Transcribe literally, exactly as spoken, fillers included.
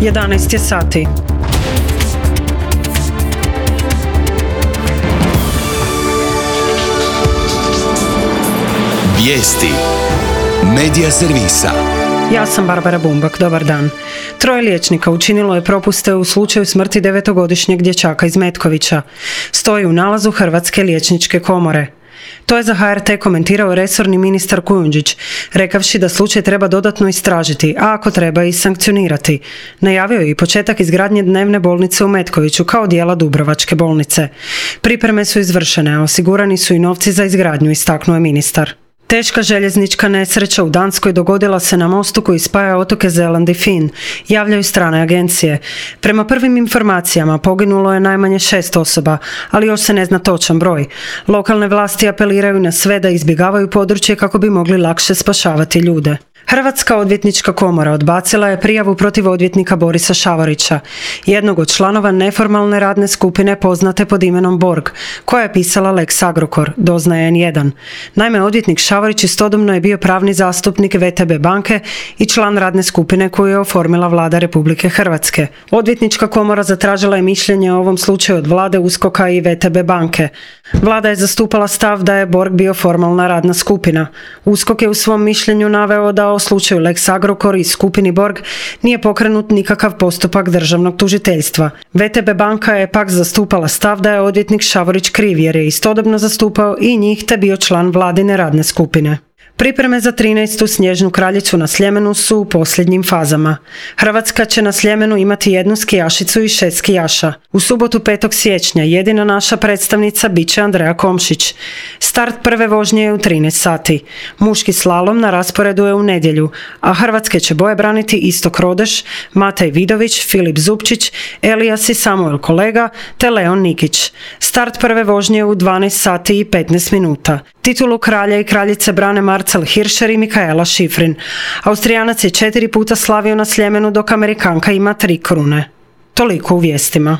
jedanaest je sati. Vijesti Medija servisa. Ja sam Barbara Bumbak, dobar dan. Troje liječnika učinilo je propuste u slučaju smrti devetogodišnjeg dječaka iz Metkovića. Stoji u nalazu Hrvatske liječničke komore. To je za H R T komentirao resorni ministar Kujundžić, rekavši da slučaj treba dodatno istražiti, a ako treba i sankcionirati. Najavio je i početak izgradnje dnevne bolnice u Metkoviću kao dijela Dubrovačke bolnice. Pripreme su izvršene, a osigurani su i novci za izgradnju, istaknuo je ministar. Teška željeznička nesreća u Danskoj dogodila se na mostu koji spaja otoke Zeland i Fin, javljaju strane agencije. Prema prvim informacijama poginulo je najmanje šest osoba, ali još se ne zna točan broj. Lokalne vlasti apeliraju na sve da izbjegavaju područje kako bi mogli lakše spašavati ljude. Hrvatska odvjetnička komora odbacila je prijavu protiv odvjetnika Borisa Šavorića, jednog od članova neformalne radne skupine poznate pod imenom Borg, koja je pisala Lex Agrokor, doznaje N jedan. Naime, odvjetnik Šavorić istodobno je bio pravni zastupnik V T B banke i član radne skupine koju je oformila Vlada Republike Hrvatske. Odvjetnička komora zatražila je mišljenje o ovom slučaju od Vlade, USKOK-a i V T B banke. Vlada je zastupala stav da je Borg bio formalna radna skupina. USKOK je u svom mišljenju naveo da o slučaju Lex Agrokor i skupini Borg nije pokrenut nikakav postupak državnog tužiteljstva. V T B banka je pak zastupala stav da je odvjetnik Šavorić kriv jer je istodobno zastupao i njih te bio član vladine radne skupine. Pripreme za trinaestu snježnu kraljicu na Sljemenu su u posljednjim fazama. Hrvatska će na Sljemenu imati jednu skijašicu i šest skijaša. U subotu petog siječnja jedina naša predstavnica bit će Andreja Komšić. Start prve vožnje je u trinaest sati. Muški slalom na rasporedu je u nedjelju, a hrvatske će boje braniti Istok Rodeš, Matej Vidović, Filip Zupčić, Elijas i Samuel Kolega te Leon Nikić. Start prve vožnje je u dvanaest sati i petnaest minuta. Titulu kralja i kraljice brane Marcel Hirscher i Mikaela Šifrin. Austrijanac je četiri puta slavio na Sljemenu, dok Amerikanka ima tri krune. Toliko u vijestima.